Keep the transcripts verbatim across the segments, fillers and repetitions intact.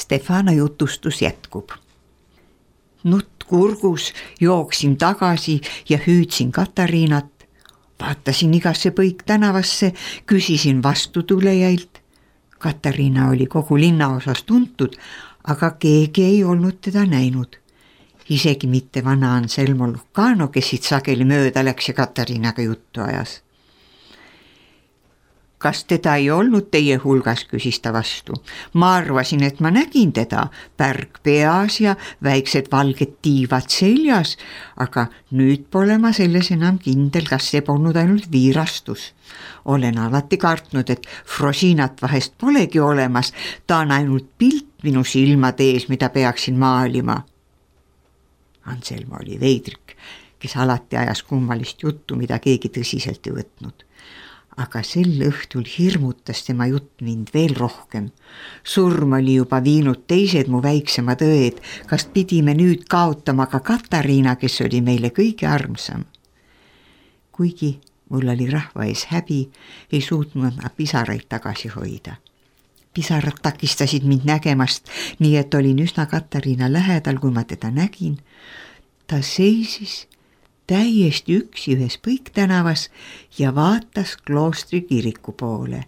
Stefano jutustus jätkub. Nutt kurgus jooksin tagasi ja hüüdsin Katariinat. Vaatasin igasse põik tänavasse, küsisin vastutulejailt. Katariina oli kogu linnaosas tuntud, aga keegi ei olnud teda näinud. Isegi mitte vana Anselmo Lucano, kes siit sageli mööda läks ja Katariinaga juttu ajas. Kas teda ei olnud teie hulgas, küsis ta vastu. Ma arvasin, et ma nägin teda, pärg peas ja väiksed valged tiivad seljas, aga nüüd pole ma selles enam kindel, kas see polnud ainult viirastus. Olen alati kartnud, et Frosinat vahest polegi olemas, ta on ainult pilt minu silmade ees, mida peaksin maalima. Anselmo oli veidrik, kes alati ajas kummalist juttu, mida keegi tõsiselt ei võtnud. Aga sel õhtul hirmutas tema jutt mind veel rohkem. Surm oli juba viinud teised mu väiksemad õed, kas pidime nüüd kaotama ka Katariina, kes oli meile kõige armsam. Kuigi mul oli rahva ees häbi, ei suutnud ma pisaraid tagasi hoida. Pisarad takistasid mind nägemast, nii et olin üsna Katariina lähedal, kui ma teda nägin. Ta seisis täiesti üksi ühes põiktänavas ja vaatas kloostri kiriku poole.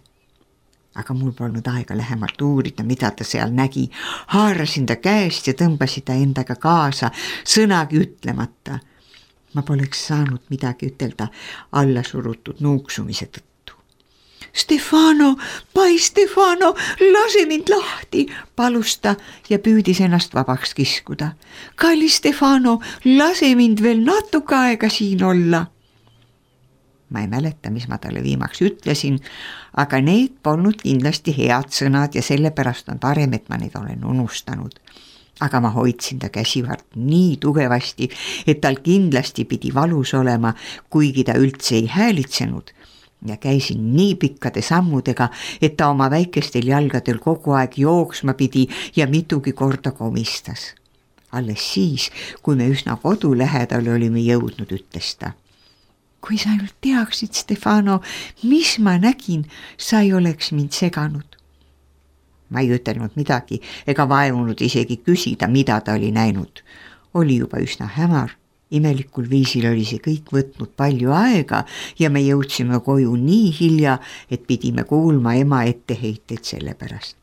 Aga mul polnud aega lähemalt uurida, mida ta seal nägi. Haarasin ta käest ja tõmbasin ta endaga kaasa, sõnagi ütlemata. Ma poleks saanud midagi ütelda alla surutud nuuksumise tõttu. Stefano, pai Stefano, lase mind lahti, palus ta ja püüdis ennast vabaks kiskuda. Kallis Stefano, lase mind veel natuke aega siin olla. Ma ei mäleta, mis ma talle viimaks ütlesin, aga need polnud kindlasti head sõnad ja sellepärast on parem, et ma neid olen unustanud. Aga ma hoidsin ta käsivart nii tugevasti, et tal kindlasti pidi valus olema, kuigi ta üldse ei häälitsenud. Ja käisin nii pikkade sammudega, et ta oma väikestel jalgadel kogu aeg jooksma pidi ja mitugi korda komistas. Alles siis, kui me üsna kodu lähedal olime jõudnud, ütles ta. Kui sa ainult teaksid, Stefano, mis ma nägin, sa ei oleks mind seganud. Ma ei ütelnud midagi ega vaevunud isegi küsida, mida ta oli näinud. Oli juba üsna hämar. Imelikul viisil oli see kõik võtnud palju aega ja me jõudsime koju nii hilja, et pidime kuulma ema etteheiteid selle pärast.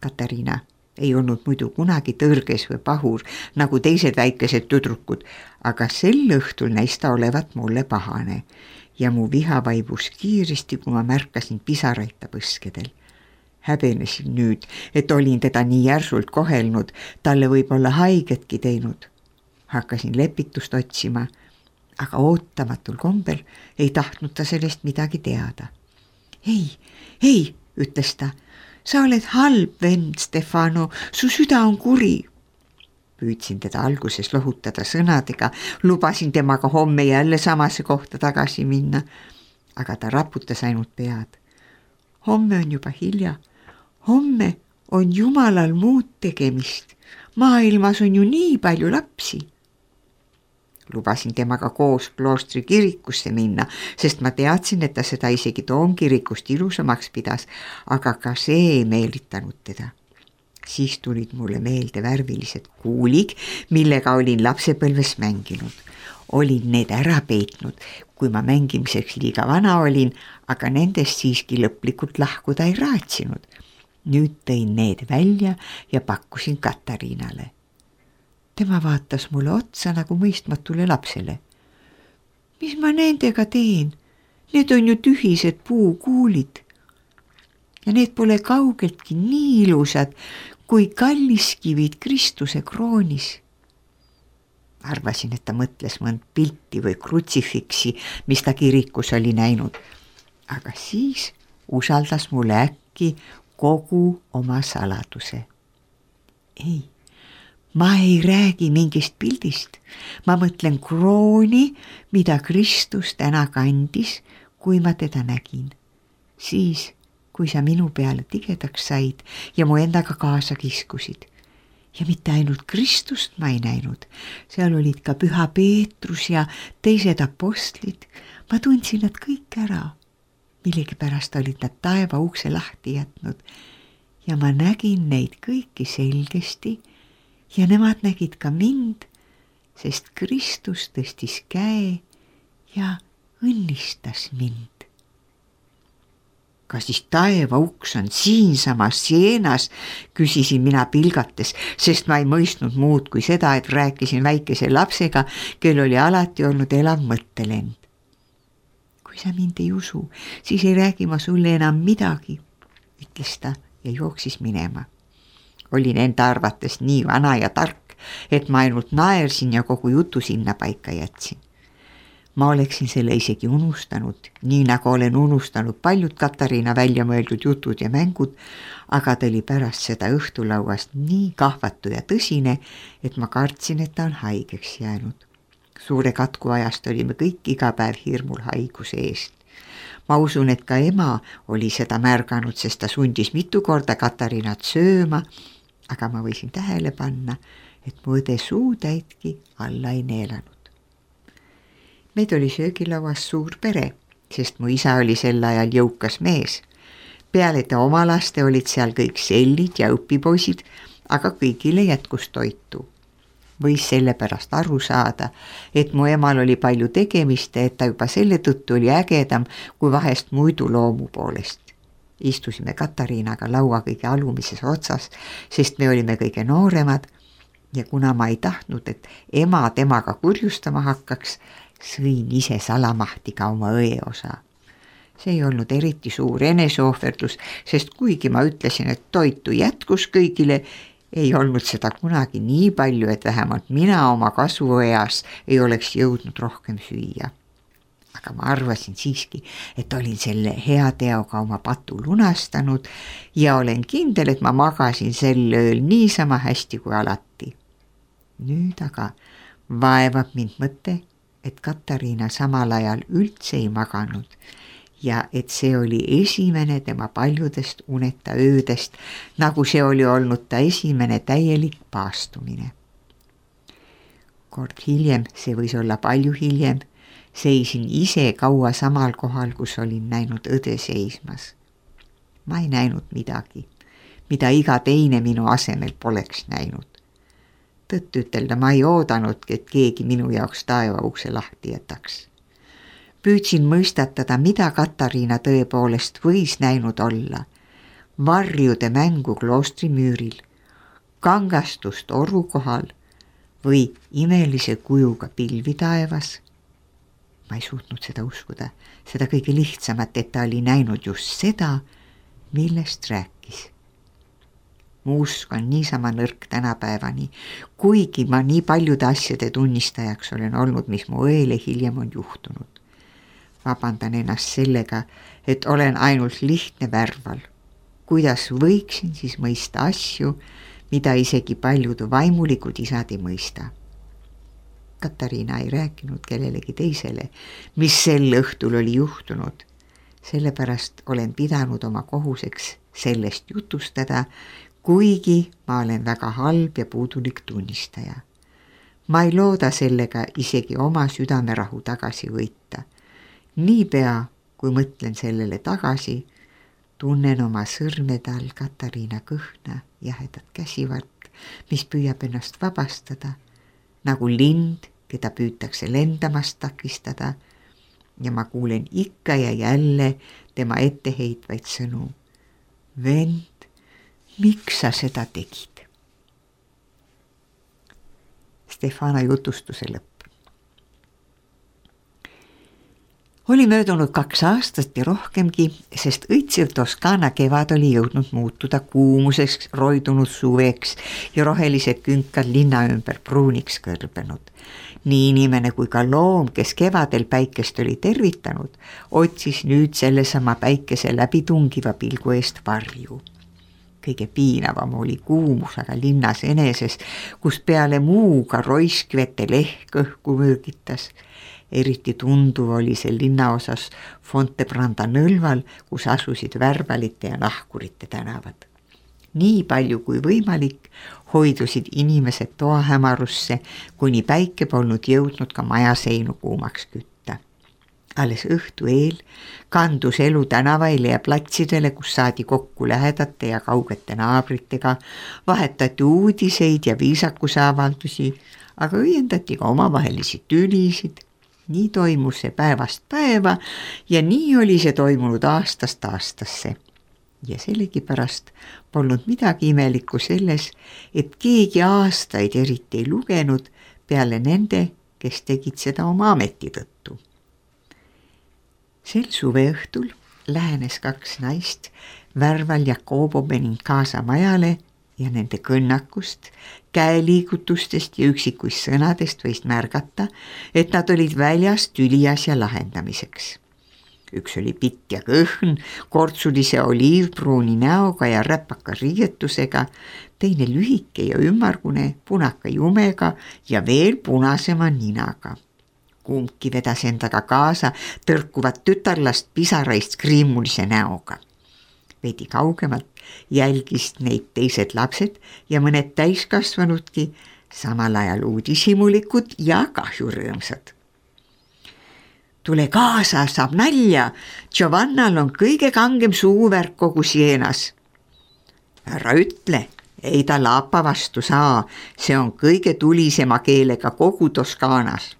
Katariina ei olnud muidu kunagi tõrges või pahur, nagu teised väikesed tüdrukud, aga sel õhtul näis ta olevat mulle pahane ja mu viha vaibus kiiresti, kui ma märkasin pisaraid ta põskedel. Häbenesin nüüd, et olin teda nii järsult kohelnud, talle võib olla haigetki teinud. Hakkasin lepitust otsima, aga ootamatul kombel ei tahtnud ta sellest midagi teada. Ei, ei, ütles ta, sa oled halb vend, Stefano, su süda on kuri. Püüdsin teda alguses lohutada sõnadega, lubasin temaga homme jälle samasse kohta tagasi minna, aga ta raputas ainult pead. Homme on juba hilja, homme on Jumalal muud tegemist, maailmas on ju nii palju lapsi. Lubasin temaga koos kloostri kirikusse minna, sest ma teadsin, et ta seda isegi toomkirikust ilusamaks pidas, aga ka see ei meelitanud teda. Siis tulid mulle meelde värvilised kuulig, millega olin lapsepõlves mänginud. Olin need ära peetnud, kui ma mängimiseks liiga vana olin, aga nendest siiski lõplikult lahkuda ei raatsinud. Nüüd tõin need välja ja pakkusin Katariinale. Tema vaatas mulle otsa nagu mõistmatule lapsele. Mis ma nendega teen? Need on ju tühised puukuulid. Ja need pole kaugeltki nii ilusad, kui kalliskivid Kristuse kroonis. Arvasin, et ta mõtles mõnd pilti või krutsifiksi, mis ta kirikus oli näinud. Aga siis usaldas mulle äkki kogu oma saladuse. Ei. Ma ei räägi mingist pildist, ma mõtlen krooni, mida Kristus täna kandis, kui ma teda nägin. Siis, kui sa minu peale tigedaks said ja mu endaga kaasa kiskusid. Ja mitte ainult Kristust ma ei näinud, seal olid ka Püha Peetrus ja teised apostlid. Ma tundsin nad kõik ära. Millegipärast olid nad taeva ukse lahti jätnud ja ma nägin neid kõiki selgesti ja nemad nägid ka mind, sest Kristus tõstis käe ja õnnistas mind. Kas siis taeva uks on siinsamas Sienas, küsisin mina pilgates, sest ma ei mõistnud muud kui seda, et rääkisin väikese lapsega, kel oli alati olnud elav mõttelend. Kui sa mind ei usu, siis ei räägi ma sulle enam midagi, ütles ta ja jooksis minema. Olin enda arvates nii vana ja tark, et ma ainult naersin ja kogu jutu sinna paika jätsin. Ma oleksin selle isegi unustanud, nii nagu olen unustanud paljud Katariina välja mõeldud jutud ja mängud, aga ta oli pärast seda õhtulauast nii kahvatu ja tõsine, et ma kartsin, et ta on haigeks jäänud. Suure katku ajast olime kõik iga päev hirmul haiguse eest. Ma usun, et ka ema oli seda märganud, sest ta sundis mitu korda Katariinat sööma, aga ma võisin tähele panna, et mu õde suutäitki alla ei neelanud. Meid oli söögilauas suur pere, sest mu isa oli sel ajal jõukas mees. Peale ta oma laste olid seal kõik sellid ja õpipoisid, aga kõigile jätkus toitu. Võis sellepärast aru saada, et mu emal oli palju tegemist, et ta juba selle tõttu oli ägedam kui vahest muidu loomu poolest. Istusime Katariinaga laua kõige alumises otsas, sest me olime kõige nooremad ja kuna ma ei tahtnud, et ema temaga kurjustama hakkaks, sõin ise salamahti ka oma õe osa. See ei olnud eriti suur eneseohverdus, sest kuigi ma ütlesin, et toitu jätkus kõigile, ei olnud seda kunagi nii palju, et vähemalt mina oma kasvueas ei oleks jõudnud rohkem süüa. Aga ma arvasin siiski, et olin selle hea teoga oma patu lunastanud ja olen kindel, et ma magasin sel ööl niisama hästi kui alati. Nüüd aga vaevab mind mõte, et Katariina samal ajal üldse ei maganud ja et see oli esimene tema paljudest uneta öödest, nagu see oli olnud ta esimene täielik paastumine. Kord hiljem, see võis olla palju hiljem, seisin ise kaua samal kohal, kus olin näinud õde seismas. Ma ei näinud midagi, mida iga teine minu asemel poleks näinud. Tõtt ütelda ma ei oodanudki, et keegi minu jaoks taeva ukse lahti jätaks. Püüdsin mõistatada, mida Katariina tõepoolest võis näinud olla. Varjude mängu kloostri müüril, kangastust oru kohal või imelise kujuga pilvi taevas. Ma ei suutnud seda uskuda, seda kõige lihtsamat, et ta oli näinud just seda, millest rääkis. Mu usk on niisama nõrk tänapäevani, kuigi ma nii paljude asjade tunnistajaks olen olnud, mis mu õele hiljem on juhtunud. Vabandan ennast sellega, et olen ainult lihtne värval. Kuidas võiksin siis mõista asju, mida isegi paljud vaimulikud isad ei mõista? Katariina ei rääkinud kellelegi teisele, mis sel õhtul oli juhtunud. Sellepärast olen pidanud oma kohuseks sellest jutustada, kuigi ma olen väga halb ja puudulik tunnistaja. Ma ei looda sellega isegi oma südamerahu tagasi võita. Niipea, kui mõtlen sellele tagasi, tunnen oma sõrmede all Katariina kõhna jahedat käsivart, mis püüab ennast vabastada, nagu lind, keda püütakse lendamast takistada, ja ma kuulen ikka ja jälle tema etteheitvaid sõnu. Vend, miks sa seda tegid? Stefana jutustuse lõpp. Oli möödunud kaks aastat ja rohkemgi, sest õitsev Toskaana kevad oli jõudnud muutuda kuumuseks, roidunud suveks ja rohelised künkad linna ümber pruuniks kõrbenud. Nii inimene kui ka loom, kes kevadel päikest oli tervitanud, otsis nüüd sellesama päikese läbi tungiva pilgu eest varju. Kõige piinavam oli kuumus aga linnas eneses, kus peale muuga roiskvete lehk õhku mürgitas. Eriti tunduv oli see linnaosas Fontebranda nõlval, kus asusid värvalite ja nahkurite tänavad. Nii palju kui võimalik hoidusid inimesed toahämarusse, kuni päike polnud jõudnud ka maja seinu kuumaks kütta. alles õhtu eel kandus elu tänavaile ja platsidele, kus saadi kokku lähedate ja kaugete naabritega, vahetati uudiseid ja viisakuse avaldusi, aga õiendati ka omavahelisi tülisid. Nii toimus see päevast päeva ja nii oli see toimunud aastast aastasse. Ja sellegipärast polnud midagi imelikku selles, et keegi aastaid eriti ei lugenud peale nende, kes tegid seda oma ameti tõttu. Sel suveõhtul lähenes kaks naist Värval Jakobo Benincasa majale ja nende kõnnakust, käeliigutustest ja üksikuist sõnadest võis märgata, et nad olid väljas tüliasja lahendamiseks. Üks oli pikk ja kõhn, kortsulise oliivpruuni näoga ja räpaka riietusega, teine lühike ja ümmargune, punaka jumega ja veel punasema ninaga. Kumbki vedas endaga kaasa tõrkuvat tütarlast pisaraist kriimulise näoga. Veidi kaugemalt jälgist neid teised lapsed ja mõned täiskasvanudki, samal ajal uudishimulikud ja kahjurõõmsad. Tule kaasa, saab nalja, Giovannal on kõige kangem suuvärk kogu Sienas. Ära ütle, ei ta Laapa vastu saa, see on kõige tulisema keelega kogu Toskaanas.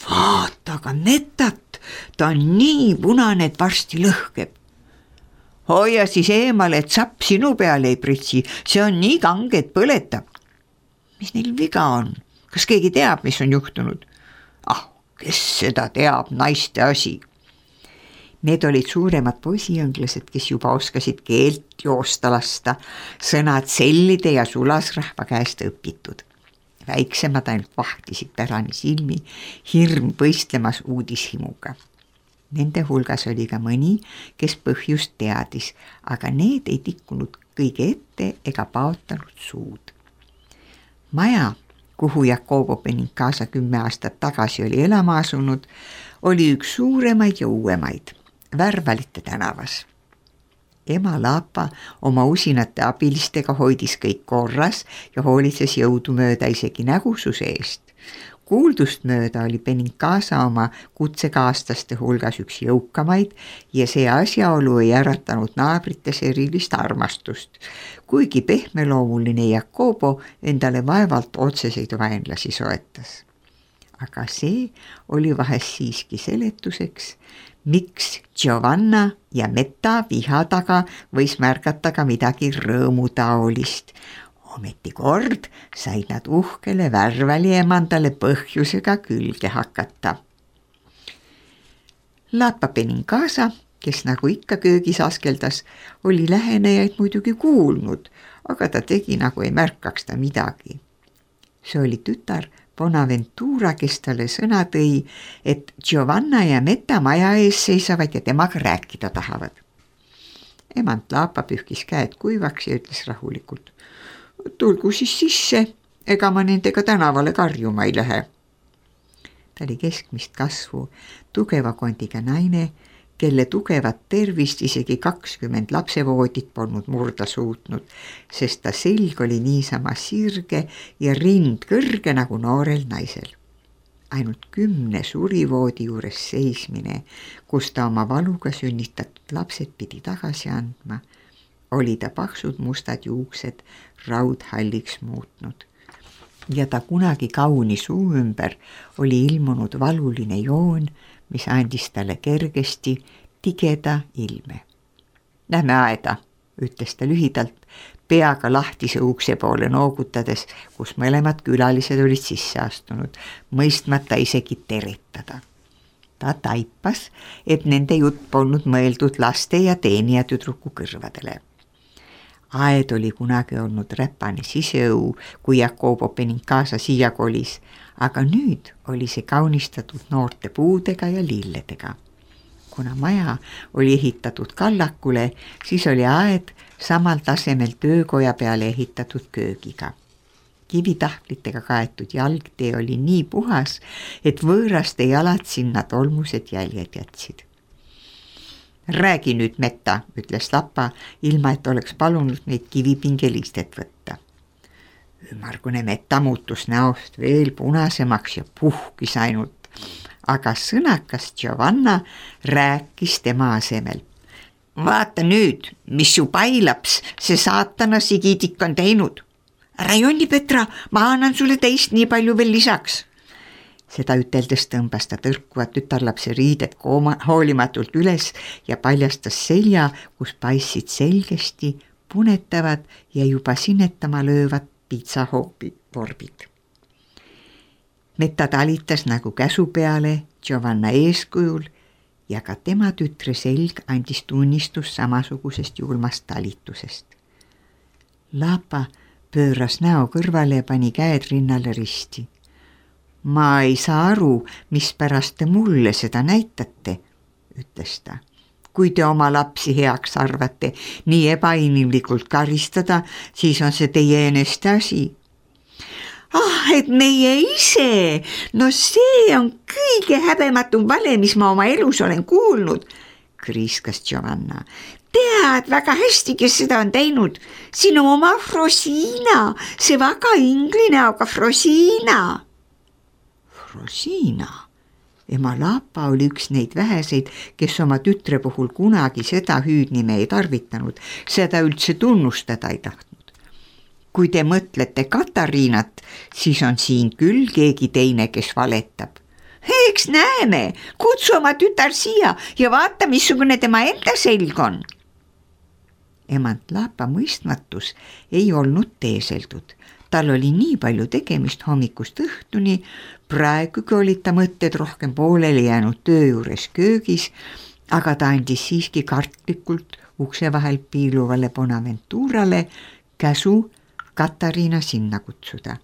Vaata aga metat, ta on nii punane, et varsti lõhkeb. Hoia siis eemale, et sapp sinu peale ei pritsi, see on nii kange, et põletab. Mis neil viga on? Kas keegi teab, mis on juhtunud? Ah, kes seda teab, naiste asi. Need olid suuremad poisiõnglased, kes juba oskasid keelt joosta lasta, sõnad sellide ja sulasrahva käest õpitud. Väiksemad ainult vahtisid pärani silmi, hirm võistlemas uudishimuga. Nende hulgas oli ka mõni, kes põhjust teadis, aga need ei tikkunud kõige ette ega paotanud suud. Maja, kuhu Jakobo Benincasa kümme aastat tagasi oli elama asunud, oli üks suuremaid ja uuemaid, Värvalite tänavas. Ema Laapa oma usinate abilistega hoidis kõik korras ja hoolitses jõudumööda isegi nägususe eest. Kuuldust mööda oli Benincasa oma kutsekaaslaste hulgas üks jõukamaid ja see asjaolu ei äratanud naabrites erilist armastust, kuigi pehmeloomuline Jakobo endale vaevalt otseseid vaenlasi soetas. Aga see oli vahest siiski seletuseks, miks Giovanna ja Metta viha taga võis märgata ka midagi rõõmutaolist. Ometi kord said nad uhkele Värvali emandale põhjusega külge hakata. Laapa Benincasa, kes nagu ikka köögis askeldas, oli lähenejaid muidugi kuulnud, aga ta tegi nagu ei märkaks ta midagi. See oli tütar Bonaventura, kes talle sõna tõi, et Giovanna ja Metta maja ees seisavad ja temaga rääkida tahavad. Emand Laapa pühkis käed kuivaks ja ütles rahulikult: tulgu siis sisse, ega ma nendega tänavale karjuma ei lähe. Ta oli keskmist kasvu, tugeva kondiga naine, kelle tugevat tervist isegi kakskümmend lapsevoodit polnud murda suutnud, sest ta selg oli niisama sirge ja rind kõrge nagu noorel naisel. Ainult kümne surivoodi juures seismine, kus ta oma valuga sünnitatud lapsed pidi tagasi andma, oli ta paksud mustad juuksed raudhalliks muutnud. Ja ta kunagi kauni suu ümber oli ilmunud valuline joon, mis andis talle kergesti tigeda ilme. Lähme aeda, ütles ta lühidalt, peaga lahtise ukse poole noogutades, kus mõlemad külalised olid sisse astunud, mõistmata isegi teretada. Ta taipas, et nende jutt polnud mõeldud laste ja teenija tüdruku kõrvadele. Aed oli kunagi olnud räpane siseõu, kui Jakobo Benincasa siia kolis, aga nüüd oli see kaunistatud noorte puudega ja lilledega. Kuna maja oli ehitatud kallakule, siis oli aed samal tasemel töökoja peale ehitatud köögiga. Kivitahvlitega kaetud jalgtee oli nii puhas, et võõraste jalad sinna tolmused jäljed jätsid. Räägi nüüd, Metta, ütles Laapa, ilma et oleks palunud neid kivipingelistet võtta. Ümmargune Metta muutus näost veel punasemaks ja puhkis ainult. aga sõnakas Giovanna rääkis tema asemel. Vaata nüüd, mis su pailaps see saatana sigidik on teinud. Ära jonni, Petra, ma annan sulle teist nii palju veel lisaks. Seda üteldes tõmbas ta tõrkuvad tütarlapse riided kooma, hoolimatult üles ja paljastas selja, kus paistsid selgesti punetavad ja juba sinetama löövad piitsahoobi vorbid. Metta talitas nagu käsu peale Giovanna eeskujul ja ka tema tütre selg andis tunnistus samasugusest julmast talitusest. Lapa pööras näo kõrvale ja pani käed rinnale risti. Ma ei saa aru, mispärast te mulle seda näitate, ütles ta. Kui te oma lapsi heaks arvate nii ebainimlikult karistada, siis on see teie eneste asi. Ah, et meie ise, no see on kõige häbematum vale, mis ma oma elus olen kuulnud, kriiskas Giovanna. Tead väga hästi, kes seda on teinud. Sinu oma Frosina, see väga ingline, aga Frosina. Frosina. Ema Lapa oli üks neid väheseid, kes oma tütre puhul kunagi seda hüüdnime ei tarvitanud, seda üldse tunnustada ei tahtnud. Kui te mõtlete Katariinat, siis on siin küll keegi teine, kes valetab. Eks näeme, kutsu oma tütar siia ja vaata, missugune tema enda selg on. Emant Lapa mõistmatus ei olnud teeseldud. Tal oli nii palju tegemist hommikust õhtuni, praegugi olid ta mõtted rohkem pooleli jäänud töö juures köögis, aga ta andis siiski kartlikult ukse vahel piiluvale Bonaventurale käsu Katariina sinna kutsuda.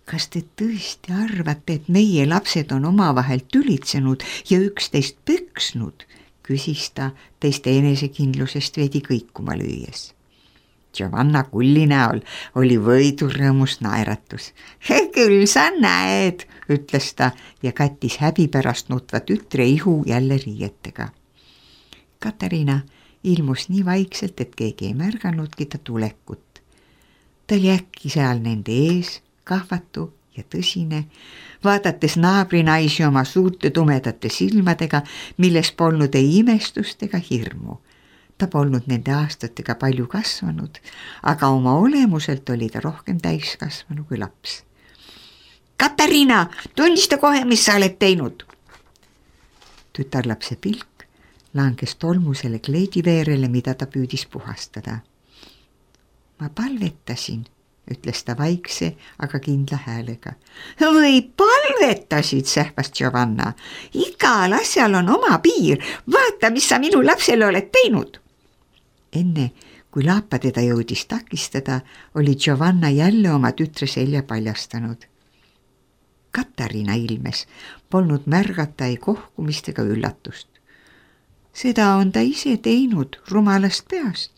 Kas te tõesti arvate, et meie lapsed on omavahel tülitsenud ja üksteist püksnud, küsis ta teiste enesekindlusest veidi kõikuma lüües. Giovanna kulli näol oli võidurõõmus naeratus. Küll sa näed, ütles ta ja kattis häbi pärast nutva tütre ihu jälle riietega. Katariina ilmus nii vaikselt, et keegi ei märganudki ta tulekut. Ta oli äkki seal nende ees, kahvatu ja tõsine, vaadates naabrinaisi oma suurte tumedate silmadega, milles polnud ei imestust ega hirmu. Ta polnud nende aastatega palju kasvanud, aga oma olemuselt oli ta rohkem täiskasvanu kui laps. Katariina, tunnista kohe, mis sa oled teinud. Tütarlapse pilk langes tolmusele kleidiveerele, mida ta püüdis puhastada. Ma palvetasin, ütles ta vaikse, aga kindla häälega. Või palvetasid, sähvas Giovanna. Igal asjal on oma piir. Vaata, mis sa minu lapsele oled teinud. Enne, kui Lapa teda jõudis takistada, oli Giovanna jälle oma tütre selja paljastanud. Katariina ilmes polnud märgata ei kohkumist ega üllatust. Seda on ta ise teinud rumalast peast.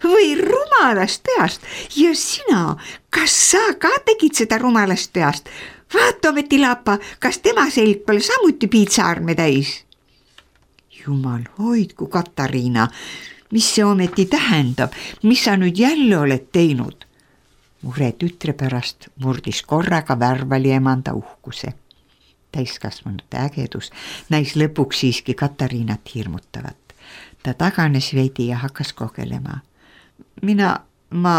Või rumalast peast ja sina, kas sa ka tegid seda rumalast peast? Vaata ometi Lapa, kas tema selg pole samuti piitsaarme täis? Jumal hoidku, Katariina, mis see ometi tähendab, mis sa nüüd jälle oled teinud? Mure tütre pärast murdis korraga värvali emanda uhkuse. Täiskasvanute ägedus näis lõpuks siiski Katariinat hirmutavat. Ta taganes veidi ja hakkas kogelema. Mina, ma,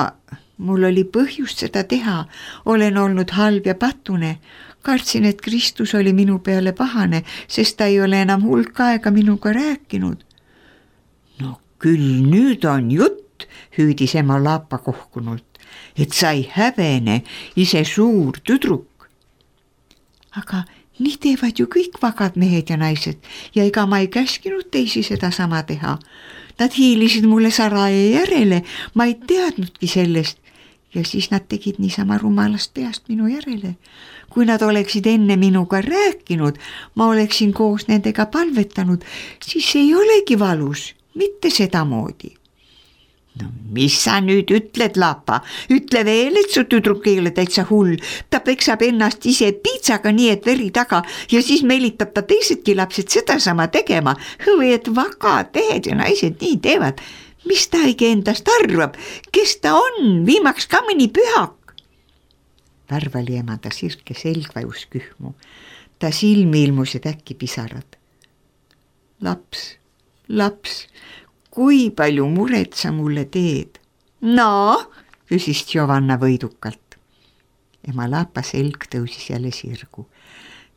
mul oli põhjust seda teha, olen olnud halb ja patune. Kartsin, et Kristus oli minu peale pahane, sest ta ei ole enam hulk aega minuga rääkinud. No küll nüüd on jutt, hüüdis ema Lapa kohkunult, et sa ei häbene, ise suur tüdruk. Aga nii teevad ju kõik vagad mehed ja naised ja ega ma ei käskinud teisi seda sama teha. Nad hiilisid mulle Saraje järele, ma ei teadnudki sellest ja siis nad tegid niisama rumalast peast minu järele. Kui nad oleksid enne minuga rääkinud, ma oleksin koos nendega palvetanud, siis ei olegi valus, mitte sedamoodi. No mis sa nüüd ütled, Lapa? Ütle veel, et su tüdruk ei ole täitsa hull. Ta peksab ennast ise piitsaga nii, et veri taga ja siis meelitab ta teisedki lapsed seda sama tegema. Või et vagad tehed ja naised nii teevad. Mis ta õige endast arvab? Kes ta on? Viimaks ka mõni pühak. Värvali emanda sirke selg vajus kühmu. ta silmi ilmusid äkki pisarad. Laps, laps, kui palju muret sa mulle teed? No, küsis Giovanna võidukalt. Ema Laapa selg tõusis jälle sirgu.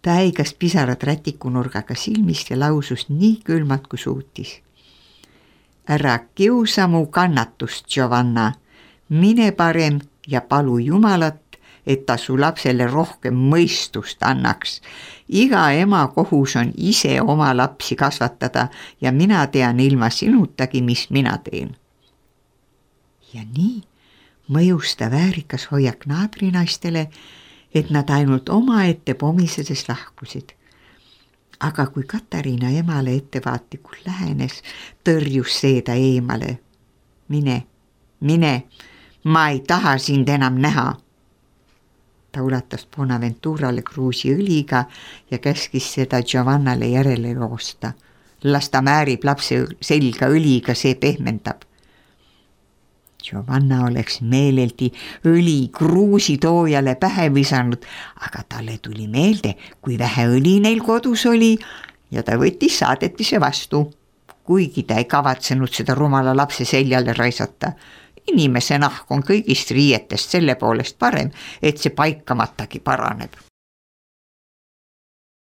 Ta äigas pisarad rätikunurgaga silmist ja lausus nii külmalt kui suutis. Ära kiusa mu kannatust, Giovanna. Mine parem ja palu Jumalat, et ta su lapsele rohkem mõistust annaks. Iga ema kohus on ise oma lapsi kasvatada ja mina tean ilma sinutagi, mis mina teen. Ja nii mõjus ta väärikas hoiak naabrinaistele, et nad ainult oma ette pomisedes lahkusid. Aga kui Katariina emale ettevaatlikult lähenes, tõrjus see ta eemale. Mine, mine, ma ei taha sind enam näha. Ta ulatas Bonaventurale kruusi õliga ja käskis seda Giovannale järele joosta. Las ta määrib lapse selga õliga, see pehmendab. Giovanna oleks meeleldi õli kruusitoojale pähe visanud, aga talle tuli meelde, kui vähe õli neil kodus oli ja ta võttis saadetise vastu, kuigi ta ei kavatsenud seda rumala lapse seljale raisata. Inimese nahk on kõigist riietest selle poolest parem, et see paikamatagi paraneb.